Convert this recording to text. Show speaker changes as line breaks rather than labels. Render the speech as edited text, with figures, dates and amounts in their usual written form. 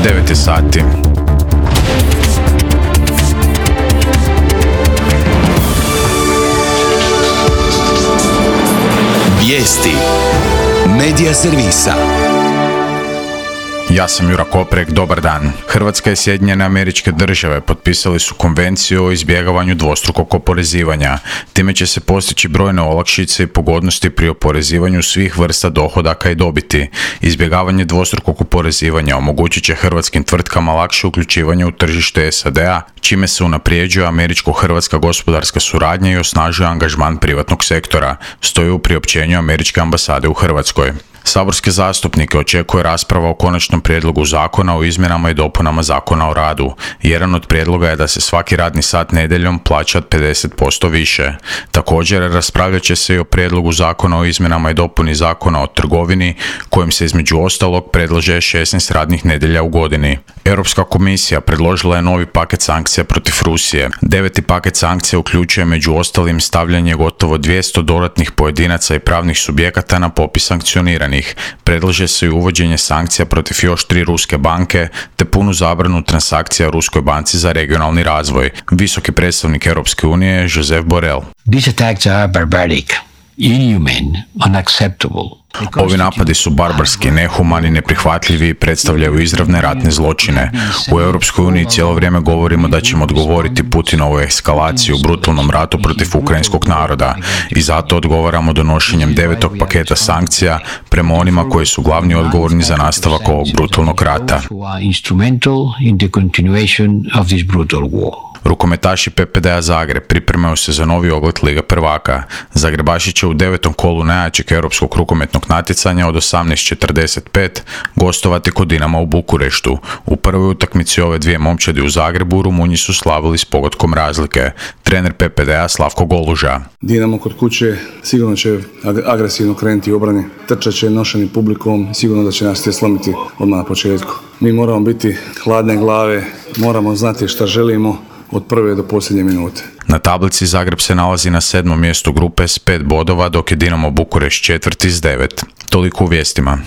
9 je sati.
Vijesti Medija servisa.
Ja sam Jura Koprek, dobar dan. Hrvatska i Sjedinjene Američke Države potpisali su konvenciju o izbjegavanju dvostrukog oporezivanja. Time će se postići brojne olakšice i pogodnosti pri oporezivanju svih vrsta dohodaka i dobiti. Izbjegavanje dvostrukog oporezivanja omogućit će hrvatskim tvrtkama lakše uključivanje u tržište SAD-a, čime se unaprijeđuje američko-hrvatska gospodarska suradnja i osnažuje angažman privatnog sektora, stoji u priopćenju Američke ambasade u Hrvatskoj. Saborske zastupnike očekuje rasprava o konačnom prijedlogu zakona o izmjenama i dopunama Zakona o radu. Jedan od prijedloga je da se svaki radni sat nedjeljom plaća 50% više. Također, raspravljat će se i o prijedlogu zakona o izmjenama i dopuni Zakona o trgovini, kojim se između ostalog predlaže 16 radnih nedjelja u godini. Europska komisija predložila je novi paket sankcija protiv Rusije. 9. paket sankcija uključuje među ostalim stavljanje gotovo 200 dodatnih pojedinaca i pravnih subjekata na popis sankcioniranih. Predlaže se i uvođenje sankcija protiv još 3 ruske banke te punu zabranu transakcija Ruskoj banci za regionalni razvoj. Visoki predstavnik Europske unije je Josep Borrell.
These attacks are barbaric, inhumane, unacceptable.
Ovi napadi su barbarski, nehumani, neprihvatljivi i predstavljaju izravne ratne zločine. U Europskoj uniji cijelo vrijeme govorimo da ćemo odgovoriti Putinovoj eskalaciji u brutalnom ratu protiv ukrajinskog naroda i zato odgovaramo donošenjem 9. paketa sankcija prema onima koji su glavni odgovorni za nastavak ovog brutalnog rata. Rukometaši PPD-a Zagreb pripremaju se za novi ogled Lige prvaka. Zagrebaši će u 9. kolu najjačeg europskog rukometnog natjecanja od 18:45 gostovati kod Dinama u Bukureštu. U prvoj utakmici ove dvije momčadi u Zagrebu Rumunji su slavili s pogodkom razlike. Trener PPD-a Slavko Goluža.
Dinamo kod kuće sigurno će agresivno krenuti u obrani. Trčat će nošeni publikom, sigurno da će nas te slomiti odmah na početku. Mi moramo biti hladne glave, moramo znati šta želimo od prve do posljednje minute.
Na tablici Zagreb se nalazi na 7. mjestu grupe s 5 bodova, dok je Dinamo Bukurešt 4. s 9. Toliko u vijestima.